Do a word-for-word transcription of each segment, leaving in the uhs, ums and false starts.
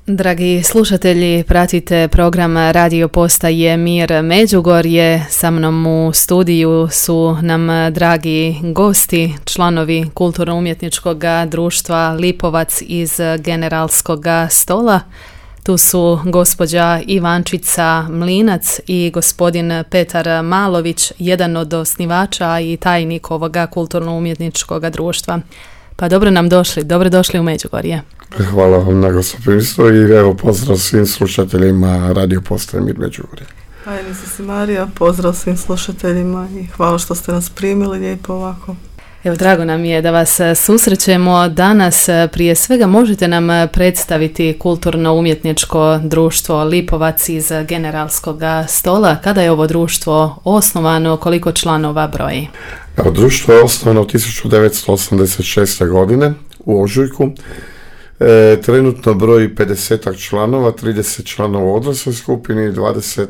Dragi slušatelji, pratite program radio postaje Mir Međugorje. Sa mnom u studiju su nam dragi gosti, članovi Kulturno-umjetničkog društva Lipovac iz Generalskog stola. Tu su gospođa Ivančica Mlinac i gospodin Petar Malović, jedan od osnivača i tajnik ovoga Kulturno-umjetničkog društva. Pa dobro nam došli, dobro došli u Međugorje. Hvala vam na gostoprimstvo i evo pozdrav svim slušateljima radio postaje Mir Međugorje. Tajnica si Marija, pozdrav svim slušateljima i hvala što ste nas primili lijepo ovako. Evo, drago nam je da vas susrećemo danas. Prije svega možete nam predstaviti Kulturno-umjetničko društvo Lipovac iz Generalskog stola. Kada je ovo društvo osnovano, koliko članova broji? Evo, društvo je osnovano tisuću devetsto osamdeset šeste. godine u ožujku. E, trenutno broji pedeset članova, trideset članova u odrasloj skupini i dvadeset,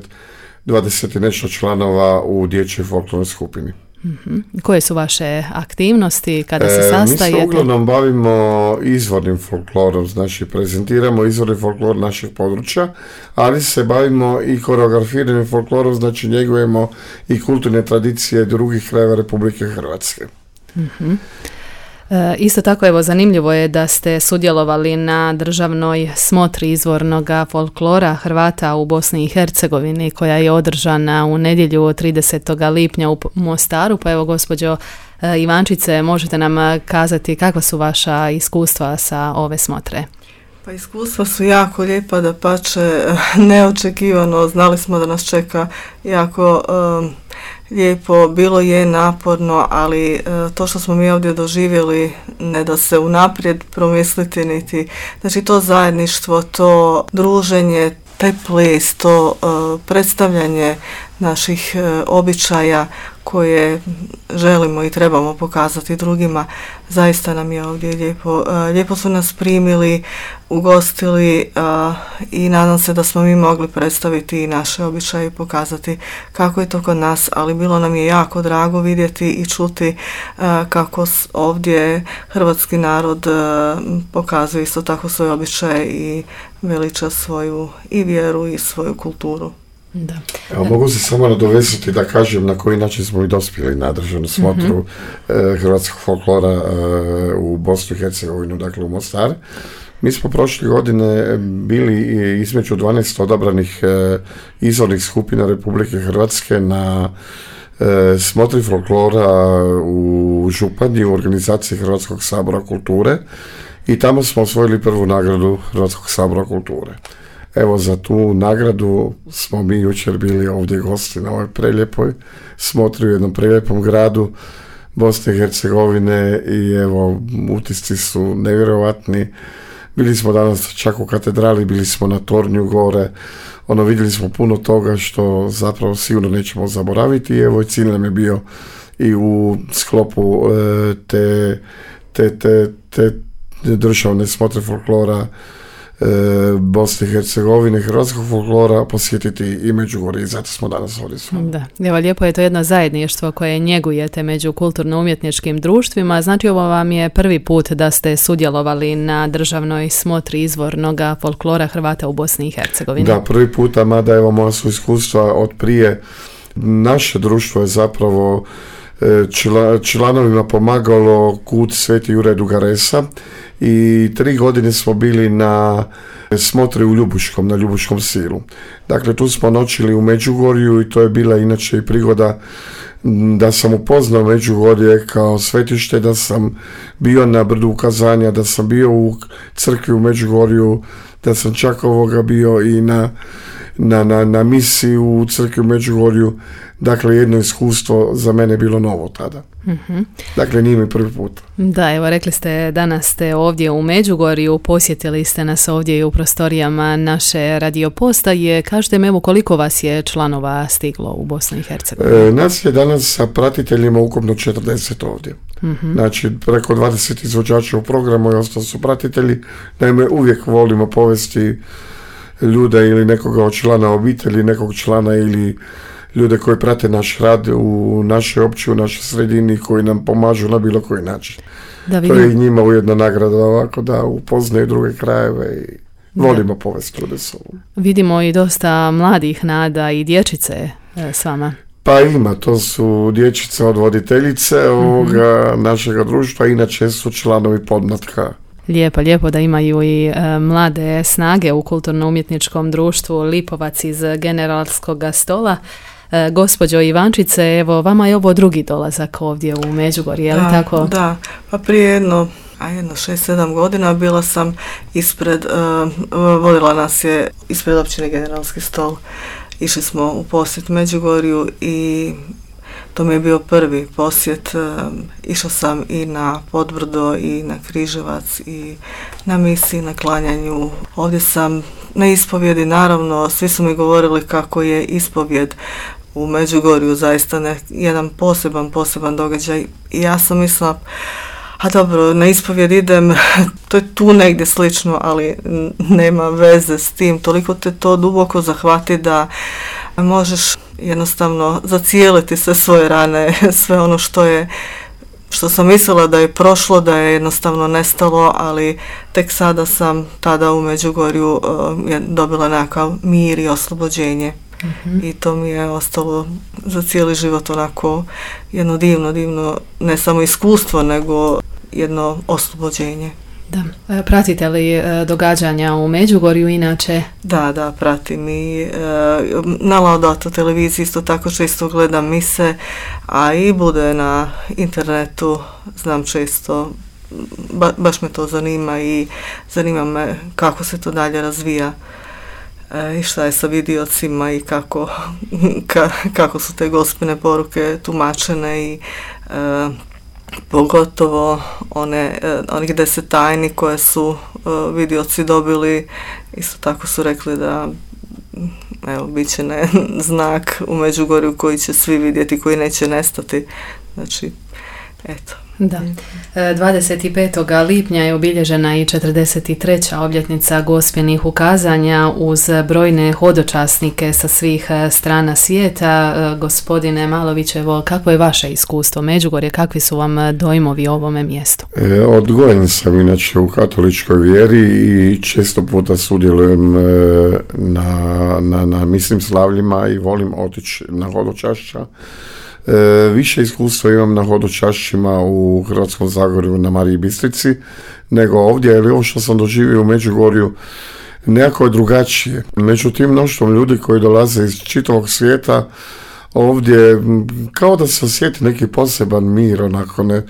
dvadeset i nešto članova u dječjoj folklornoj skupini. Mm-hmm. Koje su vaše aktivnosti kada se sastajete? E, mi se uglavnom bavimo izvornim folklorom, znači prezentiramo izvorni folklor naših područja, ali se bavimo i koreografiranim folklorom, znači njegujemo i kulturne tradicije drugih krajeva Republike Hrvatske. Mm-hmm. E, isto tako, evo, zanimljivo je da ste sudjelovali na državnoj smotri izvornog folklora Hrvata u Bosni i Hercegovini koja je održana u nedjelju tridesetog lipnja u Mostaru. Pa evo, gospođo e, Ivančice, možete nam kazati kakva su vaša iskustva sa ove smotre? Pa iskustva su jako lijepa, dapače neočekivano, znali smo da nas čeka jako um, lijepo, bilo je naporno, ali uh, to što smo mi ovdje doživjeli ne da se unaprijed promisliti niti, znači to zajedništvo, to druženje, taj ples, to uh, predstavljanje naših uh, običaja koje želimo i trebamo pokazati drugima, zaista nam je ovdje lijepo. Uh, lijepo su nas primili, ugostili uh, i nadam se da smo mi mogli predstaviti i naše običaje i pokazati kako je to kod nas, ali bilo nam je jako drago vidjeti i čuti uh, kako ovdje hrvatski narod uh, pokazuje isto tako svoje običaje i veliča svoju i vjeru i svoju kulturu. Da. Evo, mogu se samo nadovezati da kažem na koji način smo i dospjeli na državnu smotru mm-hmm. eh, hrvatskog folklora eh, u Bosnu i Hercegovinu, dakle u Mostar. Mi smo prošle godine bili između dvanaest odabranih eh, izvornih skupina Republike Hrvatske na eh, smotri folklora u Županji u organizaciji Hrvatskog sabora kulture i tamo smo osvojili prvu nagradu Hrvatskog sabora kulture. Evo, za tu nagradu smo mi jučer bili ovdje gosti na ovoj prelijepoj smotri u jednom prelijepom gradu Bosne i Hercegovine i evo, utisci su nevjerojatni. Bili smo danas čak u katedrali, bili smo na tornju gore, ono, vidjeli smo puno toga što zapravo sigurno nećemo zaboraviti i evo, cilj nam je bio i u sklopu e, te, te, te, te državne smotre folklora E, Bosne i Hercegovine, hrvatskog folklora posjetiti i Međugorje i zato smo danas ovdje s vama. Da, evo, lijepo je to jedno zajedništvo koje njegujete među kulturno-umjetničkim društvima. Znači, ovo vam je prvi put da ste sudjelovali na državnoj smotri izvornog folklora Hrvata u Bosni i Hercegovini. Da, prvi puta, mada evo moja su iskustva od prije. Naše društvo je zapravo čla, članovima pomagalo Kut Sveti Juraj Dugaresa i tri godine smo bili na smotri u Ljubuškom, na Ljubuškom silu. Dakle, tu smo noćili u Međugorju i to je bila inače i prigoda da sam upoznao Međugorje kao svetište, da sam bio na brdu ukazanja, da sam bio u crkvi u Međugorju, da sam čak ovoga bio i na, na, na, na misiji u crkvi u Međugorju. Dakle, jedno iskustvo za mene bilo novo tada. Mm-hmm. Dakle, nije mi prvi put. Da, evo, rekli ste, danas ste ovdje u Međugorju, posjetili ste nas ovdje i u prostorijama naše radio postaje. Kažete mi, evo, koliko vas je članova stiglo u Bosnu i Hercegovini? E, nas je danas sa pratiteljima ukupno četrdeset ovdje. Mm-hmm. Znači, preko dvadeset izvođača u programu i ostalo su pratitelji. Naime, uvijek volimo povesti ljude ili nekoga od člana obitelji, nekog člana ili ljude koji prate naš rad u našoj općini, u našoj sredini, koji nam pomažu na bilo koji način. Da, to je i njima ujedno nagrada ovako da upoznaju druge krajeve i volimo povesti ovdje s ovom. Vidimo i dosta mladih nada i dječice s vama. Pa ima, to su dječice od voditeljice ovoga mm-hmm. našega društva, inače su članovi podmlatka. Lijepo, lijepo da imaju i e, mlade snage u kulturno-umjetničkom društvu Lipovac iz Generalskog stola. E, gospođo Ivančice, evo, vama je ovo drugi dolazak ovdje u Međugorje, je li da, tako? Da, pa prije jedno, a jedno šest sedam godina bila sam ispred, uh, vodila nas je ispred općine Generalski stol. Išli smo u posjet Međugorju i to mi je bio prvi posjet. Išla sam i na Podbrdo i na Križevac i na misiji, na klanjanju. Ovdje sam na ispovjedi, naravno, svi su mi govorili kako je ispovjed u Međugorju zaista ne, jedan poseban, poseban događaj. I ja sam mislila, a dobro, na ispovjed idem, to je tu negdje slično, ali nema veze s tim. Toliko te to duboko zahvati da možeš jednostavno zacijeliti sve svoje rane, sve ono što je, što sam mislila da je prošlo, da je jednostavno nestalo, ali tek sada sam tada u Međugorju uh, dobila nekakav mir i oslobođenje. Mm-hmm. I to mi je ostalo za cijeli život onako jedno divno, divno, ne samo iskustvo, nego jedno oslobođenje. Da. Pratite li događanja u Međugorju inače? Da, da, pratim i na Laudato televiziji isto tako često gledam mise, a i bude na internetu, znam često, ba, baš me to zanima i zanima me kako se to dalje razvija. I šta je sa vidiocima i kako, ka, kako su te gospine poruke tumačene i e, pogotovo one, e, onih deset tajni koje su e, vidioci dobili, isto tako su rekli da evo, bit će ne, znak u Međugorju koji će svi vidjeti, koji neće nestati. Znači, eto. Da. dvadeset petog lipnja je obilježena i četrdeset treća obljetnica gospelnih ukazanja uz brojne hodočasnike sa svih strana svijeta. Gospodine Malović, evo, kakvo je vaše iskustvo Međugorje, kakvi su vam dojmovi o ovome mjestu? E, odgojen sam inače u katoličkoj vjeri i često puta sudjelujem e, na, na, na mislim slavljima i volim otići na hodočašća. E, više iskustva imam na hodočašćima u Hrvatskom Zagorju na Mariji Bistrici nego ovdje, ali ovo što sam doživio u Međugorju nekako je drugačije. Međutim, mnoštvom ljudi koji dolaze iz čitavog svijeta ovdje kao da se osjeti neki poseban mir, onako ne,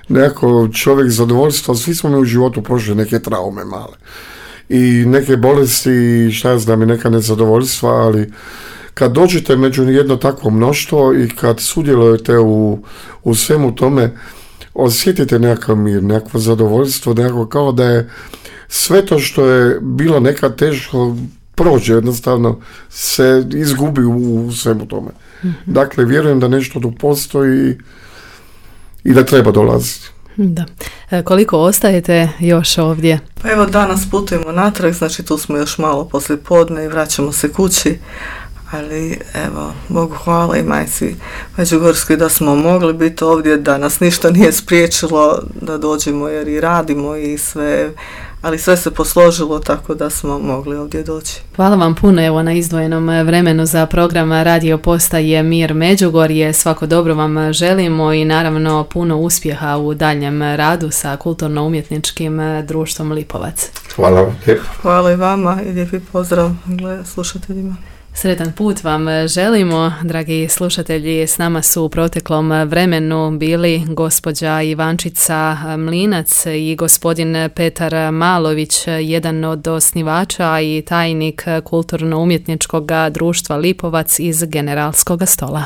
nekako čovjek zadovoljstvo, svi smo mi u životu prošli neke traume male i neke bolesti, šta ja znam, i neka nezadovoljstva, ali kad dođete među jedno takvo mnoštvo i kad sudjelujete u, u svemu tome, osjetite nekakav mir, nekakvo zadovoljstvo, nekako kao da je sve to što je bilo nekad teško prođe, jednostavno se izgubi u, u svemu tome. Mm-hmm. Dakle, vjerujem da nešto tu postoji i da treba dolaziti. Da. E, koliko ostajete još ovdje? Pa evo, danas putujemo natrag, znači tu smo još malo poslije podne i vraćamo se kući. Ali evo, Bogu hvala i majci Međugorskoj da smo mogli biti ovdje, da nas ništa nije spriječilo da dođemo jer i radimo i sve, ali sve se posložilo tako da smo mogli ovdje doći. Hvala vam puno evo na izdvojenom vremenu za program Radio Postaje Mir Međugorje. Svako dobro vam želimo i naravno puno uspjeha u daljem radu sa kulturno-umjetničkim društvom Lipovac. Hvala vam. Hvala i vama i lijepi pozdrav slušateljima. Sretan put vam želimo, dragi slušatelji. S nama su u proteklom vremenu bili gospođa Ivančica Mlinac i gospodin Petar Malović, jedan od osnivača i tajnik kulturno-umjetničkog društva Lipovac iz Generalskog stola.